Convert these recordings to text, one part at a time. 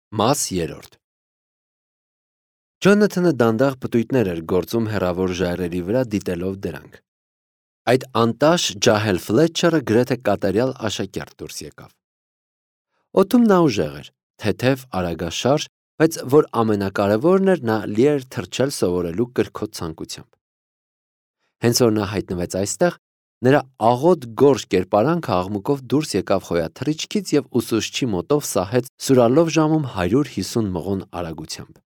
Մաս 3 Ջոնաթանը դանդաղ պտույտներ էր գործում հեռավոր ժայռերի վրա դիտելով դրանք։ Այդ անտաշ ջահել Ֆլետչերը գրեթե կատարյալ աշակերտ դուրս եկավ։ Օդում նա ուժեղ էր, թեթև, արագաշարժ, բայց որ ամենակարևորն էր, նա լի էր թռչել սովորելու կրքոտ ցանկությամբ։ Հենց որ նա հայտնվեց այստեղ, նրա աղոտ գորշ կերպարանքը աղմուկով դուրս եկավ խոյաթռիչքից և ուսուցչի մոտով սահեց սուրալով ժամում 150 մղոն արագությամբ։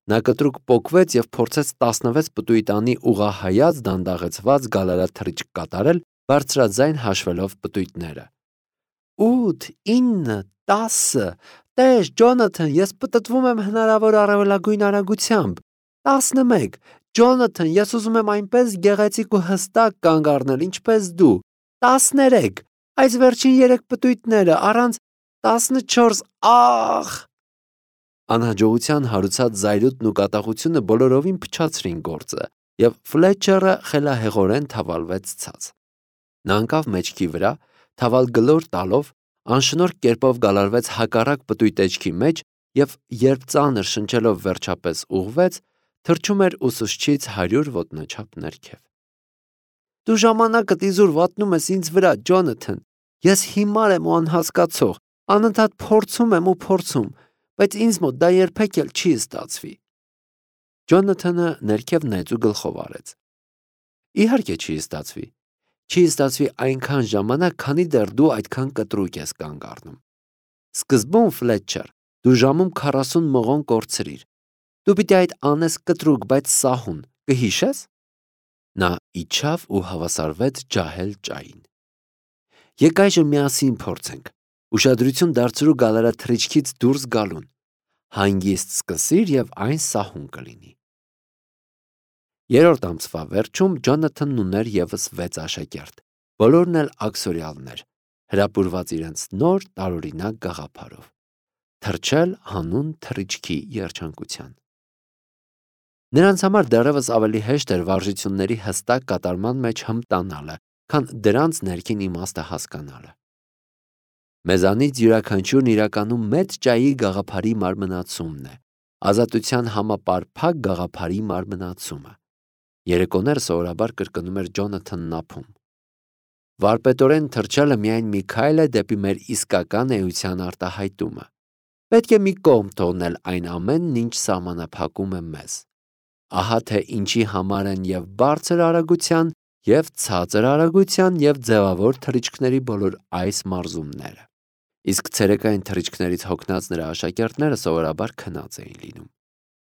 Նա կտրուկ պոկվեց և փորձեց 16 պտույտանի ուղղահայաց դանդաղեցված գալարաթռիչք կատարել, բարձրաձայն հաշվելով պտույտները։ 8, 9, 10, տես, Ջոնաթան, ես պտտվում եմ հնարավոր առավելագույն արագությամբ։ 11, Ջոնաթան, ես ուզում եմ այնպես գեղեցիկ ու հստակ կանգ առնել, ինչպես դու։ 13, այս վերջին 3 պտույտները, առանց 14, ախ։ Անհաջողության հարուցած զայրույթն ու կատաղությունը բոլորովին փչացրին գործը, և Ֆլետչերը խելահեղորեն թավալվեց ցած։ Նա ընկավ մեջքի վրա, թավալ գլոր տալով, անշնորհ կերպով գալարվեց հակառակ պտույտեջքի մեջ և երբ ծանր շնչելով վերջապես ուղղվեց, թռչում էր ուսուցչից 100 ոտնաչափ ներքև։ Դու ժամանակդ իզուր վատնում ես ինձ վրա, Ջոնաթան, ես հիմար եմ ու անհասկացող, անընդհատ փորձում եմ ու փորձում, բայց ինձ մոտ դա երբեք էլ չի ստացվի։ Ջոնաթանը ներքև նայեց ու գլխով արեց։ Իհարկե չի ստացվի։ Չի ստացվի այնքան ժամանակ, քանի դեռ դու այդքան կտրուկ ես կանգ առնում։ Սկզբում, Ֆլետչեր, դու ժամում 40 մղոն կորցրիր։ Դու պիտի այդ անես կտրուկ, բայց սահուն, կհիշես։ Նա իջավ ու հավասարվեց ջահել ճային։ Եկ այժմ միասին փորձենք։ Ուշադրություն դարձրու գալարաթռիչքից դուրս գալուն։ Հանգիստ սկսիր և այն սահուն կլինի։ Երրորդ ամսվա վերջում Ջոնաթանն ուներ ևս 6 աշակերտ, բոլորն էլ աքսորյալներ, հրապուրված իրենց նոր տարօրինակ գաղափարով՝ թռչել հանուն թռիչքի երջանկության։ Նրանց համար դեռևս ավելի հեշտ էր վարժությունների հստակ կատարման մեջ հմտանալը, քան դրանց ներքին իմաստը հասկանալը։ Մեզանից յուրաքանչյուրն իրականում մեծ ճայի գաղափարի մարմնացումն է, ազատության համապարփակ գաղափարի մարմնացումը։ Երեկոները սովորաբար կրկնում էր Ջոնաթանն ափում։ Վարպետորեն թռչելը միայն մի քայլ է դեպի մեր իսկական էության արտահայտումը։ Պետք է մի կողմ թողնել այն ամենն, ինչ սահմանափակում է մեզ։ Ահա թե ինչի համար են և բարձր արագության, և ցածր արագության, և ձևավոր թռիչքների բոլոր այս մարզումները։ Իսկ ցերեկային թռիչքներից հոգնած նրա աշակերտները սովորաբար քնած էին լինում։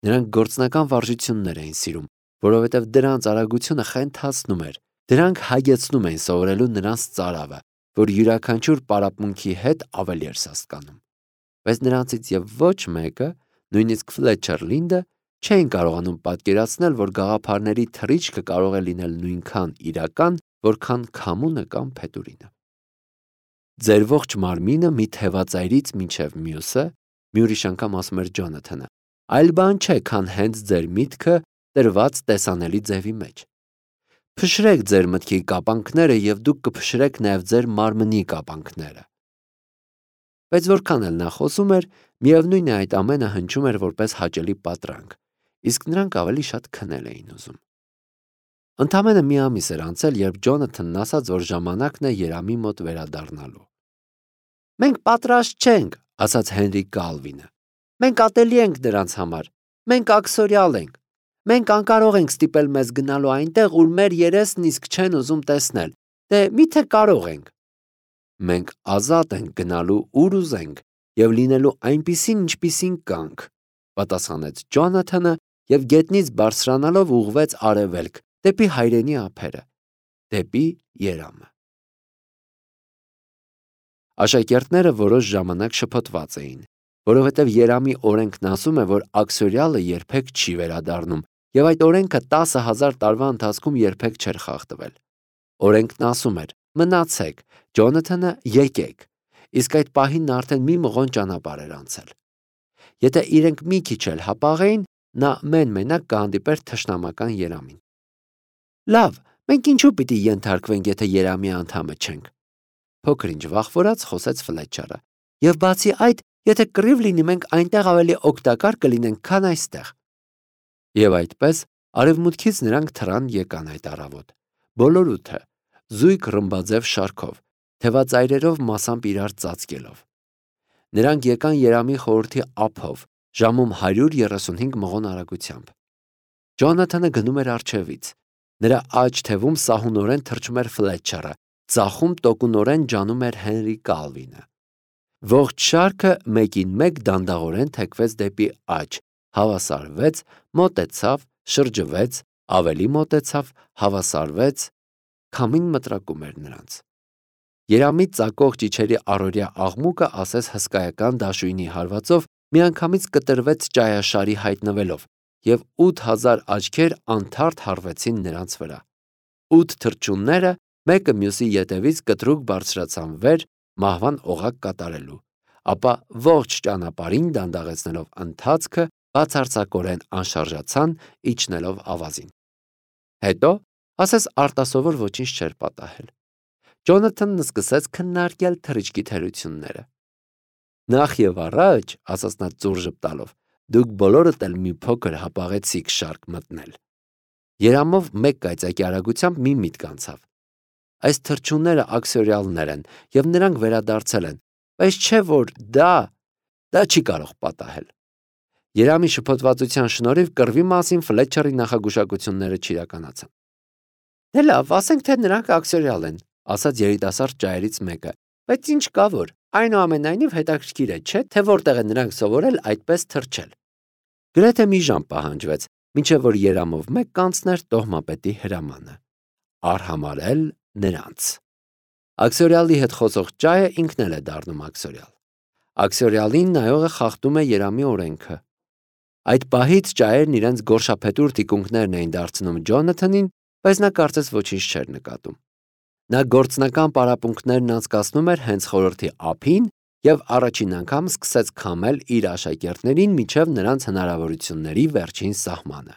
Նրանք գործնական վարժություններ էին սիրում, որովհետև դրանց արագությունը խենթացնում էր, դրանք հագեցնում էին սովորելու նրանց ծարավը, որ յուրաքանչյուր պարապմունքի հետ ավելի էր սաստկանում։ Բայց նրանցից և ոչ մեկը, նույնիսկ Ֆլետչեր Լինդը, չէին կարողանում պատկերացնել, որ գաղափարների թռիչքը կարող է լինել նույնքան իրական, որքան քամունը կամ փետուրինը։ Ձեր ողջ մարմինը մի թևածայրից մինչև մյուսը, մի ուրիշ անգամ ասում էր Ջոնաթանը, այլ բան չէ, քան հենց ձեր միտքը տրված տեսանելի ձևի մեջ։ Փշրեք ձեր մտքի կապանքները և դուք կփշրեք նաև ձեր մարմնի կապանքները։ Բայց որքան էլ նա խոսում էր, միևնույն է այդ ամենը հնչում էր որպես հաճելի պատրանք, իսկ նրանք ավելի շատ քնել էին ուզում։ Ընդամենը մի ամիս էր անցել, երբ Ջոնաթանն ասաց, որ ժամանակն է Երամի մոտ վերադառնալու։ Մենք պատրաստ չենք, ասաց Հենրի Կալվինը։ Մենք ատելի ենք դրանց համար։ Մենք աքսորյալ ենք։ Մենք անկարող ենք ստիպել մեզ գնալու այնտեղ, ուր մեր երեսն իսկ չեն ուզում տեսնել։ Դե միթե կարող ենք։ Մենք ազատ ենք գնալու ուր ուզենք և լինելու այնպիսին, ինչպիսին կանք, պատասխանեց Ջոնաթանը և գետնից բարձրանալով ուղղվեց արևելք, դեպի հայրենի ափերը, դեպի Երամը։ Աշակերտները որոշ ժամանակ շփոթված էին, որովհետև Երամի օրենքն ասում է, որ աքսորյալը երբեք չի վերադառնում, և այդ օրենքը 10,000 տարվա ընթացքում երբեք չէր խախտվել։ Օրենքն ասում էր. մնացեք, Ջոնաթանը, եկեք, իսկ այդ պահին նա արդեն մի մղոն ճանապարհ էր անցել։ Եթե իրենք մի քիչ էլ հապաղեին, նա մեն-մենակ կհանդիպեր թշնամական Երամին։ Լավ, մենք ինչու պիտի ենթարկվենք, եթե Երամի անդամը չենք։ Փոքր-ինչ վախվորած խոսեց Ֆլետչերը։ Եվ բացի այդ, Եթե կռիվ լինի, մենք այնտեղ ավելի օգտակար կլինենք, քան այստեղ։ Եվ այդպես արևմուտքից նրանք թռան եկան այդ առավոտ։ Բոլոր ութը, զույգ ռմբաձև շարքով, թևածայրերով մասամբ իրար ծածկելով։ Նրանք եկան Երամի խորհրդի ափով, ժամում 135 մղոն արագությամբ։ Ջոնաթանը գնում էր առջևից։ Նրա աջ թևում սահունորեն թռչում էր Ֆլետչերը, ձախում տոկունորեն ջանում էր Հենրի Կալվինը։ Ողջ շարքը մեկին մեկ դանդաղորեն թեքվեց դեպի աջ, հավասարվեց, մոտեցավ, շրջվեց, ավելի մոտեցավ, հավասարվեց, քամին մտրակում էր նրանց։ Երամի ծակող ճիչերի առօրյա աղմուկը ասես հսկայական դաշույնի հարվածով միանգամից կտրվեց ճայաշարի հայտնվելով, և 8000 աչքեր անթարթ հառվեցին նրանց վրա։ 8 թռչունները մեկը մյուսի ետևից կտրուկ բարձրացան վեր մահվան օղակ կատարելու, ապա ողջ ճանապարհին դանդաղեցնելով ընթացքը բացարձակորեն անշարժացան, իջնելով ավազին։ Հետո ասես արտասովոր ոչինչ չէր պատահել։ Ջոնաթանն սկսեց քննարկել թռիչքի թերությունները։ Նախ եւ առաջ, ասաց նա ծուռ ժպտալով, դուք բոլորդ էլ մի փոքր հապաղեցիք շարք մտնել։ Երամով մեկ կայծակի արագությամբ մի միտք անցավ։ Այս թռչունները աքսորիալներ են եւ նրանք վերադարձել են, բայց չէ որ դա չի կարող պատահել։ Երամի շփոթվածության շնորհիվ կռվի մասին Ֆլետչերի նախագուշակությունները չիրականացան։ Դե լավ, ասենք թե նրանք աքսորիալ են, ասաց երիտասարդ ճայերից մեկը, բայց ինչ կա որ, այնուամենայնիվ հետաքրքիր է, չէ՞, թե որտեղ են նրանք սովորել այդպես թռչել։ Գրեթե մի ժամ պահանջվեց, մինչև որ Երամով մեկ կանցներ տոհմապետի հրամանը։ Արհամարհել նրանց։ Աքսորիալի հետ խոսող ճայը ինքն էլ է դառնում աքսորիալ։ Աքսորիալին նայողը խախտում է Երամի օրենքը։ Այդ պահից ճայերն իրենց գորշափետուր թիկունքներն էին դարձնում Ջոնաթանին, բայց նա կարծես ոչինչ չէր նկատում։ Նա գործնական պարապմունքներն անցկացնում էր հենց խորհրդի ափին և առաջին անգամ սկսեց քամել իր աշակերտներին մինչև նրանց հնարավորությունների վերջին սահմանը։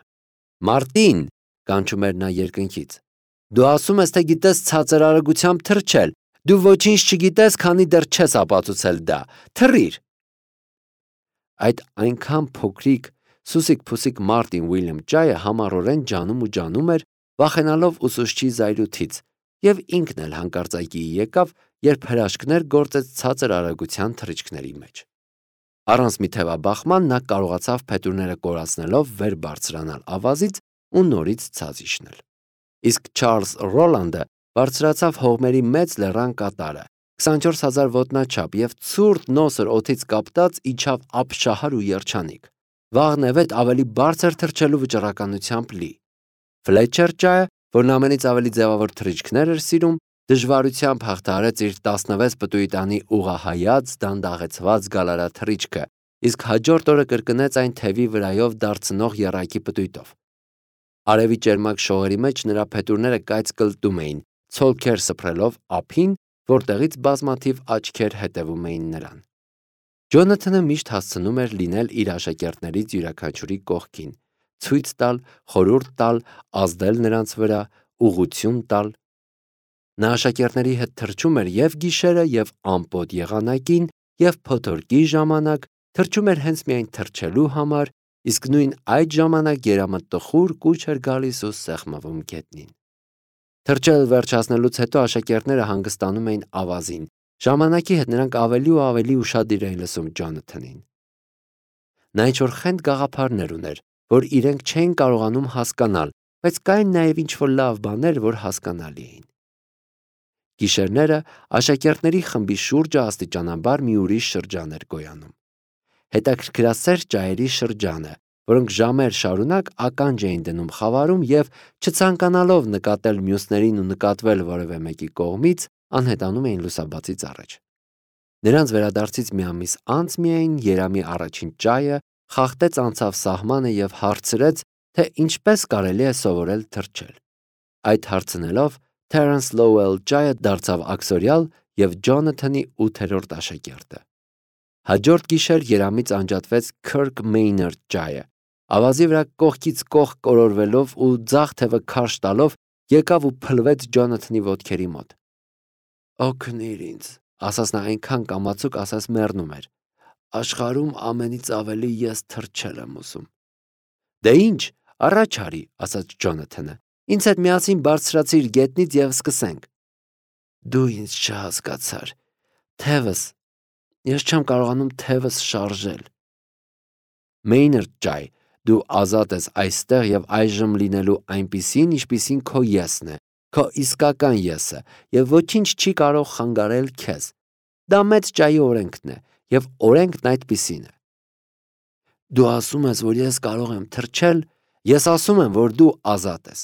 Մարտին, կանչում էր նա երկնքից, դու ասում ես, թե գիտես ցածր արագությամբ թռչել, դու ոչինչ չգիտես, քանի դեռ չես ապացուցել դա, թռիր։ Այդ այնքան փոքրիկ սուսիկ-փուսիկ Մարտին Ուիլյամ ճայը համառորեն ջանում էր, վախենալով ուսուցչի զայրույթից, և ինքն էլ հանկարծակիի եկավ, երբ հրաշքներ գործեց ցածր արագության թռիչքների մեջ։ Առանց մի թևաբախման նա կարողացավ փետուրները կորացնելով վեր բարձրանալ ավազից ու նորից ցած իջնել։ Իսկ Չարլզ Ռոլանդը բարձրացավ հողմերի մեծ լեռան կատարը, 24000 ոտնաչափ և ցուրտ նոսր օդից կապտած իջավ ապշահար ու երջանիկ, վաղնևեթ ավելի բարձր թռչելու վճռականությամբ լի։ Ֆլետչեր ճայը, որն ամենից ավելի ձևավոր թռիչքներ էր սիրում, դժվարությամբ հաղթահարեց իր 16 պտույի տանի ուղղահայաց դանդաղեցված գալարաթռիչքը, իսկ հաջորդ օրը կրկնեց այն թևի վրայով դարձնող եռակի պտույտով։ Արևի ճերմակ շողերի մեջ նրա փետուրները կայծ կլտում էին, ցոլքեր սփռելով ափին, որտեղից բազմաթիվ աչքեր հետևում էին նրան։ Ջոնաթանը միշտ հասցնում էր լինել իր աշակերտներից յուրաքանչյուրի կողքին, ցույց տալ, խորհուրդ տալ, ազդել նրանց վրա, ուղղություն տալ։ Նա աշակերտների հետ թռչում էր և գիշերը, և ամպոտ եղանակին, և փոթորկի ժամանակ, թռչում էր հենց միայն թռչելու համար, իսկ նույն այդ ժամանակ Երամը տխուր կուչ էր գալիս ու սեղմվում գետնին։ Թռչել վերջացնելուց հետո աշակերտները հանգստանում էին ավազին, ժամանակի հետ նրանք ավելի ու ավելի ուշադիր էին լսում Ջոնաթանին։ Նա ինչ-որ խենթ գաղափարներ ուներ, որ իրենք չէին կարողանում հասկանալ, բայց կային նաև ինչ-որ լավ բաներ, որ հասկանալի էին։ Գիշերները աշակերտների խմբի շուրջը աստիճանաբար մի ուրիշ շրջան էր գոյանում։ Հետաքրքրասեր ճայերի շրջանը, որոնք ժամեր շարունակ ականջ էին դնում խավարում և, չցանկանալով նկատել մյուսներին ու նկատվել որևէ մեկի կողմից, անհետանում էին լուսաբացից առաջ։ Նրանց վերադարձից մի ամիս անց միայն Երամի առաջին ճայը խախտեց անցավ սահմանը և հարցրեց, թե ինչպես կարելի է սովորել թռչել։ Այդ հարցնելով Թերենս Լոուել ճայը դարձավ աքսորիալ և Ջոնաթանի 8-րդ աշակերտը։ Հաջորդ գիշեր Երամից անջատվեց Քըրք Մեյնարդ ճայը, ավազի վրա կողքից կողք կորորվելով ու ձախ թևը քարշ տալով եկավ ու փլվեց Ջոնաթանի ոտքերի մոտ։ «Օգնիր ինձ», ասաց նա այնքան կամացուկ, ասես մեռնում էր։ Աշխարհում ամենից ավելի ես թրջել եմ ուզում։ Դե ինչ, առաջ արի, ասաց Ջոնաթանը։ Ինձ հետ միասին բարձրացիր գետնից եւ սկսենք։ Դու ինձ չհասկացար։ Թևս, ես չեմ կարողանում թևս շարժել։ Մեյնարդ ջայ, դու ազատ ես այստեղ եւ այժմ լինելու այնպիսին, ինչպիսին քո եսն է, քո իսկական եսը, եւ ոչինչ չի կարող խանգարել քեզ։ Դա մեծ ջայի օրենքն է, եւ օրենքն այդպիսին է։ Դու ասում ես, որ ես կարող եմ թրջել, ես ասում եմ, որ դու ազատ ես։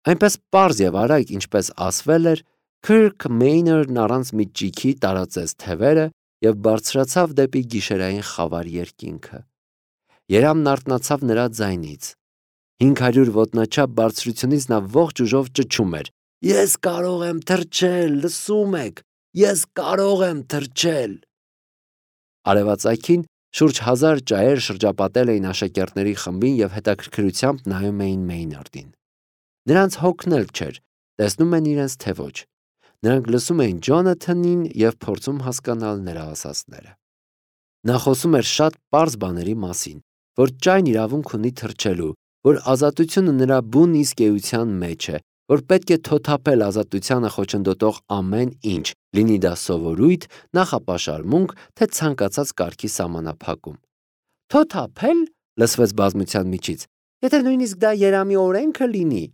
Այնպես պարզ եւ արագ, ինչպես ասվել էր, Քիրք Մեյնարդն առանց մի ճիքի տարածեց թևերը եւ բարձրացավ դեպի գիշերային խավար երկինքը։ Երամն արթնացավ նրա ձայնից։ 500 ոտնաչափ բարձրությունից նա ողջ ուժով ճչում էր. Ես կարող եմ թրջել, լսում եք, ես կարող եմ թրջել։ Արևածագին շուրջ 1000 ճայեր շրջապատել էին աշակերտների խմբին եւ հետաքրքրությամբ նայում էին Մեյնարդին։ Նրանց հոգնել չէր, տեսնում են իրենց թե ոչ։ Նրանք լսում էին Ջոնաթանին եւ փորձում հասկանալ նրա ասածները։ Նա խոսում էր շատ պարզ բաների մասին, որ ճայն իրավունք ունի թրջելու, որ ազատությունը նրա բուն իսկ էության մեջ է, որ պետք է թոթափել ազատությանը խոչընդոտող ամեն ինչ, լինի դա սովորույթ, նախապաշարմունք, թե ցանկացած կարգի սահմանափակում։ Թոթափել, լսվեց բազմության միջից, եթե նույնիսկ դա երամի օրենքը լինի։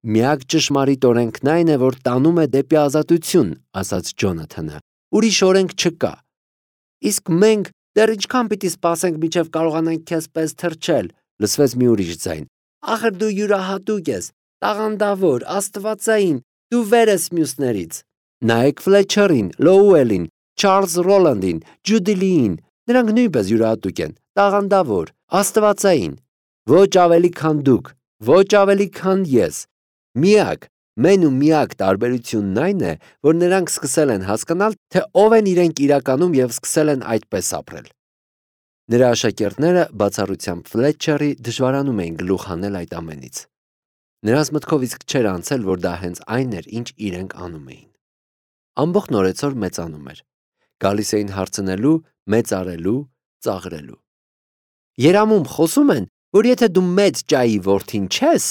Միակ ճշմարիտ օրենքն այն է, որ տանում է դեպի ազատություն, ասաց Ջոնաթանը։ Ուրիշ օրենք չկա։ Իսկ մենք դեռ ինչքան պիտի սպասենք, մինչև կարողանանք քեզ պես թրջել, լսվեց մի ուրիշ ձայն։ Ախր դու յուրահատուկ ես, տաղանդավոր, աստվածային, դու վեր ես մյուսներից։ Նայեք Ֆլեչերին, Լոուելին, Չարլզ Ռոլանդին, Ջուդի Լիին, նրանք նույնպես յուրահատուկ են, տաղանդավոր, աստվածային։ Ոչ ավելի քան դուք, ոչ ավելի քան ես։ Միակ, մեն ու միակ տարբերությունն այն է, որ նրանք սկսել են հասկանալ, թե ով են իրենք իրականում եւ սկսել են այդպես ապրել։ Նրա աշակերտները բացառությամբ Ֆլեչերի դժվարանում էին գլուխ հանել այդ ամենից։ Նրանց մտքով իսկ չէր անցել, որ դա հենց այն էր, ինչ իրենք անում էին։ Ամբողջ նորեցօր մեծանում էր։ Գալիս էին հարցնելու, մեծարելու, ծաղրելու։ Երամում խոսում են, որ եթե դու մեծ ջայի որդին չես,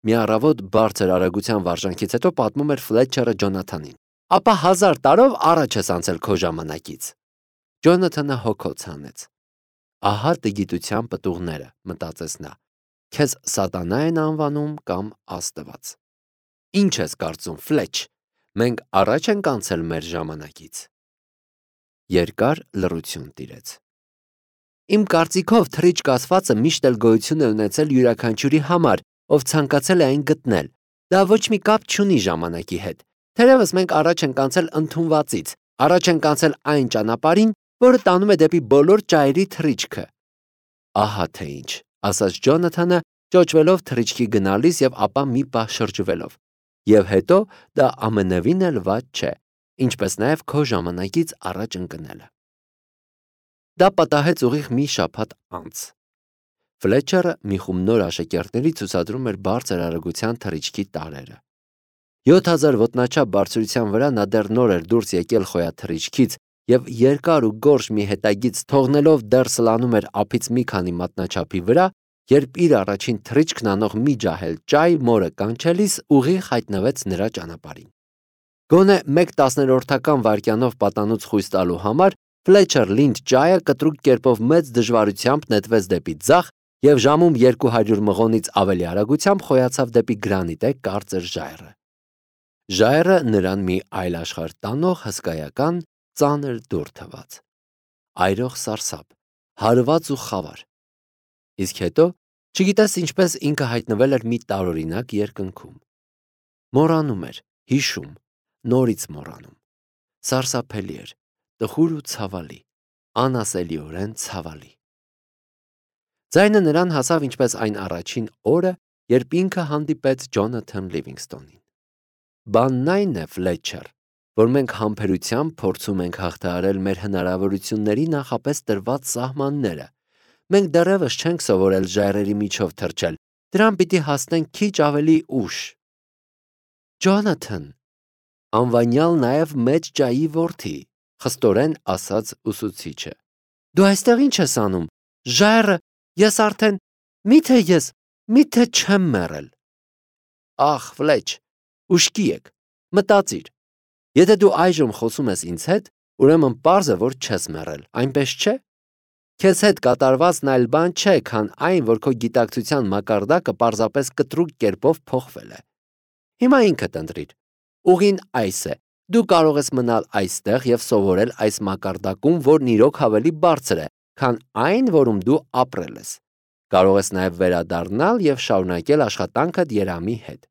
մի առավոտ բարձր արագության վարժանքից հետո պատմում էր Ֆլեչերը Ջոնաթանին, ապա 1000 տարով առաջ ես անցել քո ժամանակից։ Ջոնաթանը հոգոց հանեց։ Ահա տգիտության պտուղները, մտածեց նա։ Քեզ սատանա են անվանում կամ Աստված։ Ինչ ես կարծում, Ֆլեչ, մենք առաջ ենք անցել մեր ժամանակից։ Երկար լռություն տիրեց։ Իմ կարծիքով թրիչք ասվածը միշտ էլ գոյություն է ունեցել յուրաքանչյուրի համար, ով ցանկացել է այն գտնել։ Դա ոչ մի կապ չունի ժամանակի հետ։ Թերևս մենք առաջ ենք անցել ընդունվածից, առաջ ենք անցել այն ճանապարհին, որը տանում է դեպի բոլոր ճայերի թրիչքը։ Ահա թե ինչ, ասաց Ջոնաթանը, ճոճվելով թրիչքի գնալիս եւ ապա մի պահ շրջվելով։ Եվ հետո դա ամենևին էլ վատ չէ, ինչպես նաեւ քո ժամանակից առաջ ընկնելը։ Դա պատահեց ուղիղ մի շաբաթ անց։ Ֆլեչերը մի խումբ նոր աշակերտների ցուցադրում էր բարձր արագության թռիչքի տարրերը։ 7000 ոտնաչափ բարձրության վրա նա դեռ նոր էր դուրս եկել խոյաթռիչքից եւ երկար ու գորշ մի հետագից թողնելով դեռ սլանում էր ափից մի քանի մատնաչափի վրա, երբ իր առաջին թռիչքն անող մի ջահել ճայ մորը կանչելիս ուղիղ հայտնվեց նրա ճանապարհին։ Գոնե 1/10 վայրկյանով պատանուց խույս տալու համար Ֆլեչեր Լինդ ջայը կտրուկ կերպով մեծ դժվարությամբ նետվեց դեպի ձախ եւ ժամում 200 մղոնից ավելի արագությամբ խոյացավ դեպի գրանիտե կարծր ժայռը։ Ժայռը նրան մի այլ աշխարհ տանող հսկայական ծանր դուռ թվաց։ Այրող սարսափ, հարված ու խավար։ Իսկ հետո, չգիտես ինչպես ինքը հայտնվել էր մի տարօրինակ երկնքում։ Մոռանում էր, հիշում, նորից մոռանում։ Սարսափելի էր, տխուր ու ցավալի, անասելիորեն ցավալի։ Ձայնը նրան հասավ ինչպես այն առաջին օրը, երբ ինքը հանդիպեց Ջոնաթան Լիվինգստոնին։ Բանն այն է, Ֆլեչեր, որ մենք համբերությամբ փորձում ենք հաղթահարել մեր հնարավորությունների նախապես տրված սահմանները։ Մենք դեռևս չենք սովորել ժայռերի միջով թռչել, դրան պիտի հասնենք քիչ ավելի ուշ։ Ջոնաթան, անվանյալ նաև մեծ ջայի որդի, խստորեն ասաց ուսուցիչը։ Դու այստեղ ինչ ես անում։ Ժայռը, ես արդեն, միթե չեմ մեռել։ Ախ, Ֆլեչ, ուշքի եք, մտածիր։ Եթե դու այժմ խոսում ես ինձ հետ, ուրեմն պարզ է, որ չես մեռել, այնպես չէ։ Քեզ հետ կատարվածն այլ բան չէ, քան այն, որ քո գիտակցության մակարդակը պարզապես կտրուկ կերպով փոխվել է։ Հիմա ինքդ ընտրիր։ Ուղին այս է. դու կարող ես մնալ այստեղ եւ սովորել այս մակարդակում, որն իրոք ավելի բարձր է, քան այն, որում դու ապրել ես։ Կարող ես նաեւ վերադառնալ եւ շարունակել աշխատանքդ Երամի հետ։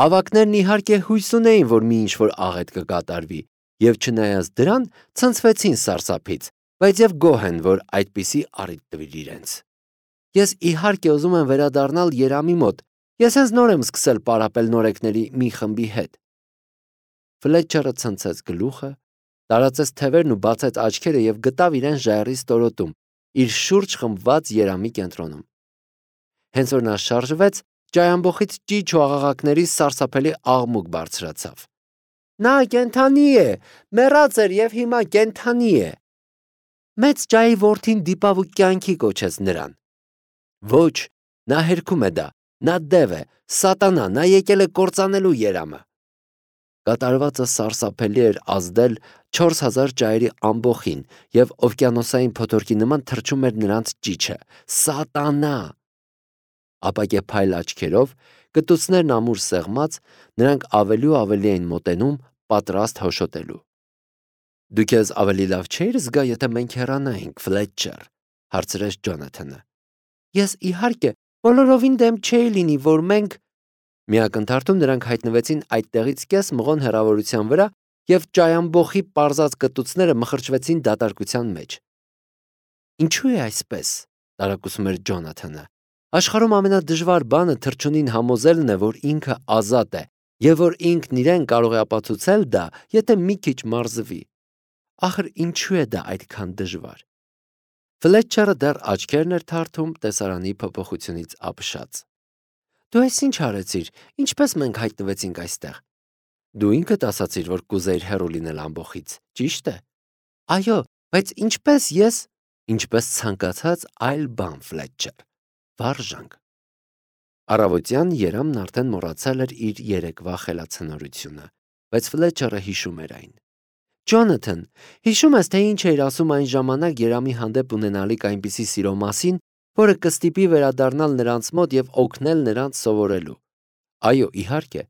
Ավակներն իհարկե հույս ունեին, որ մի ինչ-որ աղետ կկատարվի, եւ չնայած դրան ցնցվեցին սարսափից, բայց եւ գոհ են, որ այդպիսի առիթ տվիր իրենց։ Ես իհարկե ուզում եմ վերադառնալ Երամի մոտ։ Ես հենց նոր եմ սկսել պարապել նորեկների մի խմբի հետ։ Ֆլետչերը ցնցեց գլուխը, տարածեց թևերն ու բացեց աչքերը եւ գտավ իրեն ժայռի ստորոտում, իր շուրջ խմբված Երամի կենտրոնում։ Հենց որ նա շարժվեց, ջայամբոխից ճիչ ու աղաղակների սարսափելի աղմուկ բարձրացավ։ Նա կենթանի է, մեռած էր եւ հիմա կենթանի է։ Մեծ ջայի որդին դիպավ ու կյանքի կոչեց նրան։ Ոչ, նա հերքում է դա, նա դև է, սատանա, նա եկել է կործանելու Երամը։ Կատարվածը սարսափելի էր ազդել 4000 ջայերի ամբոխին եւ օվկիանոսային փոթորկի նման թռչում էր նրանց ճիչը։ Սատանա։ Ապակեպայլ աչքերով, կտուցներն ամուր սեղմած, նրանք ավելի ու ավելի էին մոտենում, պատրաստ հոշոտելու։ Դու քեզ ավելի լավ չէիր զգա, եթե մենք հեռանայինք, Ֆլետչեր, հարցրեց Ջոնաթանը։ Ես իհարկե բոլորովին դեմ չէի լինի, որ մենք Միակ ընթարքում նրանք հայտնվեցին այդտեղից կես մղոն հեռավորության վրա եւ ճայամբոխի պարզած կտուցները մխրճվեցին դատարկության մեջ։ Ինչու է այսպես, տարակուսում էր Ջոնաթանը։ Աշխարհում ամենադժվար բանը թռչունին համոզելն է, որ ինքը ազատ է եւ որ ինքն իրեն կարող է ապացուցել դա, եթե մի քիչ մարզվի։ Ախր ինչու է դա այդքան դժվար։ Ֆլետչերը դեռ աչքերն էր թարթում տեսարանի փոփոխությունից ապշած։ Դու այս ինչ արեցիր, ինչպես մենք հայտնվեցինք այստեղ։ Դու ինքդ ասացիր, որ կուզեիր հեռու լինել ամբոխից, ճիշտ է։ Այո, բայց ինչպես ցանկացած այլ բան, Ֆլետչեր, վարժանք։ Առավոտյան Երամն արդեն մոռացել էր իր երեկվա խելացնորությունը, բայց Ֆլետչերը հիշում էր այն։ Ջոնաթան, հիշում ես, թե ինչ էր ասում այն ժամանակ Երամի հանդեպ ունենալիք այնպիսի սիրո մասին, որը կստիպի վերադառնալ նրանց մոտ եւ օգնել նրանց սովորելու։ Այո, իհարկե։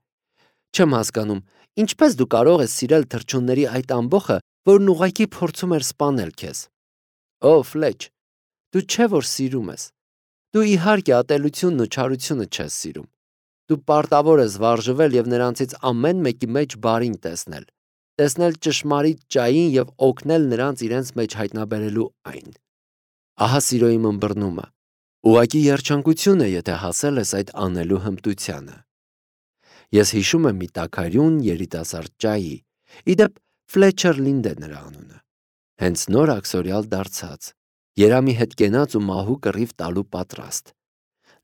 Չեմ հասկանում, ինչպես դու կարող ես սիրել թռչունների այդ ամբոխը, որն ուղղակի փորձում էր սպանել քեզ։ Օ, Ֆլեչ, դու չէ որ սիրում ես։ Դու իհարկե ատելությունն ու չարությունը չես սիրում։ Դու պարտավոր ես վարժվել եւ նրանցից ամեն մեկի մեջ բարին տեսնել ճշմարիտ ճային եւ օգնել նրանց իրենց մեջ հայտնաբերելու այն։ Ահա սիրոյի ըմբռնումը։ Ուղղակի երջանկություն է, եթե հասել ես այդ անելու հմտությանը։ Ես հիշում եմ մի տաքարյուն երիտասարդ ջայի, իդեպ Ֆլետչեր Լինդ է նրա անունը։ Հենց նոր աքսորիալ դարձած, Երամի հետ կենաց ու մահու կռիվ տալու պատրաստ։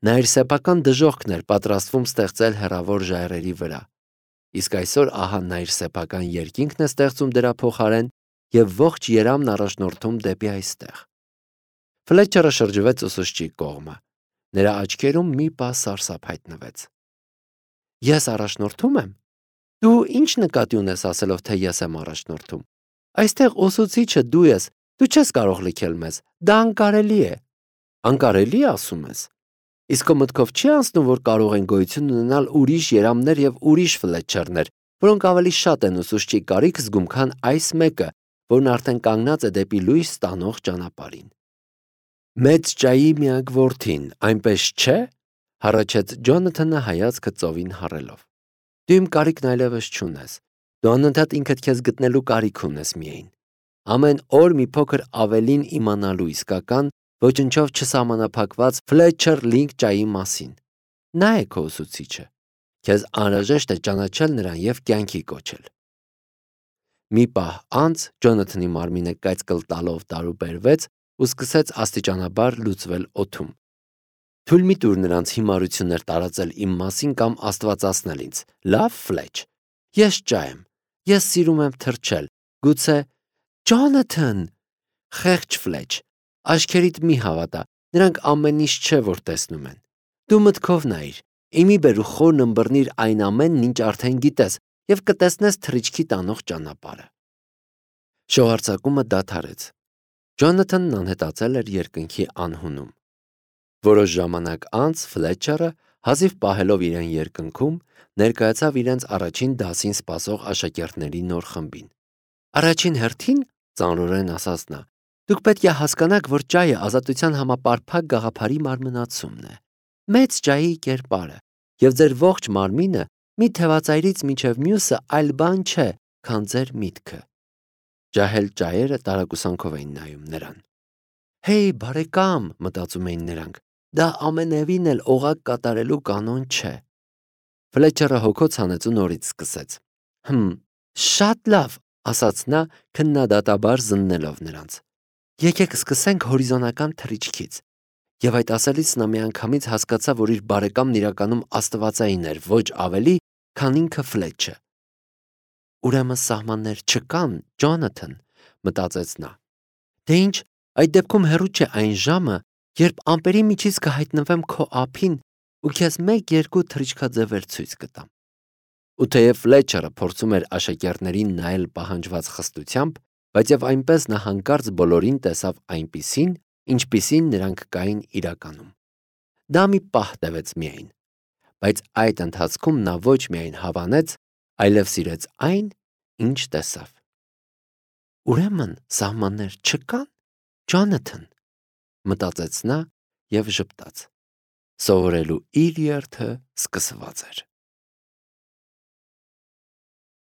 Նա իր սեփական դժոխքն էր պատրաստվում ստեղծել հեռավոր ժայռերի վրա։ Իսկ այսօր ահա նա իր սեփական երկինքն է ստեղծում դրա փոխարեն եւ ողջ Երամն առաջնորդում դեպի այստեղ։ Ֆլետչերը շրջվեց ուսուցչի կողմը։ Նրա աչքերում մի պահ սարսափ հայտնվեց։ Ես առաջնորդում եմ։ Դու ինչ նկատի ունես ասելով, թե ես եմ առաջնորդում։ Այստեղ ուսուցիչը դու ես, դու չես կարող լքել մեզ։ Դա անկարելի է։ Անկարելի է, ասում ես։ Իսկ քո մտքով չի անցնում, որ կարող են գոյություն ունենալ ուրիշ Երամներ եւ ուրիշ Ֆլետչերներ, որոնք ավելի շատ են ուսուցչի կարիք զգում, քան այս մեկը, որն արդեն կանգնած է դեպի լույս ստանող ճանապարհին։ Մեծ ջայի միակ որդին, այնպես չէ, հառաչեց Ջոնաթանը հայացքը ծովին հառելով։ Դու իմ կարիքն այլևս չունես։ Դու անընդհատ ինքդ քեզ գտնելու կարիք ունես միայն։ Ամեն օր մի փոքր ավելին իմանալու իսկական, ոչնչով չսահմանափակված Ֆլետչեր Լինդ ջայի մասին։ Նա է քո ուսուցիչը։ Քեզ անհրաժեշտ է ճանաչել նրան եւ կյանքի կոչել։ Մի պահ անց Ջոնաթանի մարմինը կայծկլ տալով տարուբերվեց ու սկսեց աստիճանաբար լուծվել օդում։ Թույլ մի տուր նրանց հիմարություններ տարածել իմ մասին կամ աստվածացնել ինձ։ Լավ, Ֆլեչ։ Ես ջա եմ։ Ես սիրում եմ թռչել։ Գուցե Ջոնաթան, Խեղճ Ֆլեչ, աչքերիդ մի հավատա, նրանք ամեն ինչ չէ, որ տեսնում են։ Դու մտքով նայիր, իմի բեր ու խորն ըմբռնիր այն ամենն, ինչ արդեն գիտես, եւ կտեսնես թռիչքի տանող ճանապարհը։ Շողարցակումը դադարեց։ Ջոնաթանն անհետացել էր երկնքի անհունում։ Որոշ ժամանակ անց Ֆլեչերը, հազիվ պահելով իրեն երկնքում, ներկայացավ իրենց առաջին դասին սպասող աշակերտների նոր խմբին։ Առաջին հերթին, ծանրորեն ասաց նա, դուք պետք է հասկանաք, որ ճայը ազատության համապարփակ գաղափարի մարմնացումն է, մեծ ճայի կերպարը, եւ ձեր ողջ մարմինը մի թևածայրից մինչև մյուսը այլ բան չէ, քան ձեր միտքը։ Ջահել ճայերը տարակուսանքով էին նայում նրան։ Հեյ, բարեկամ, մտածում էին նրանք, դա ամենևին էլ օղակ կատարելու կանոն չէ։ Ֆլեչերը հոգոց հանեց ու նորից սկսեց։ Շատ լավ, ասաց նա, քննադատաբար զննելով նրանց։ Եկեք սկսենք հորիզոնական թռիչքից։ Եվ այդ ասելիս նա միանգամից հասկացավ, որ իր բարեկամն իրականում աստվածային էր, ոչ ավելի, քան ինքը Ֆլեչը։ Ուրեմն սահմաններ չկան, Ջոնաթան, մտածեց նա։ Դե ինչ, այդ դեպքում հեռու չէ այն ժամը, երբ ամպերի միջից կհայտնվեմ քո ափին ու քեզ 1-2 թռիչքաձևեր ցույց կտամ։ Ու թեև Ֆլեչերը փորձում էր աշակերտներին նայել պահանջված խստությամբ, բայց եւ այնպես նա հանկարծ բոլորին տեսավ այնպիսին, ինչպիսին նրանք կային իրականում։ Դա մի պահ տևեց միայն, բայց այդ ընթացքում նա ոչ միայն հավանեց, այլև սիրեց այն, ինչ տեսավ։ Ուրեմն սահմաններ չկան, Ջոնաթան, մտածեց նա եւ ժպտաց։ Սովորելու իր երթը սկսված էր։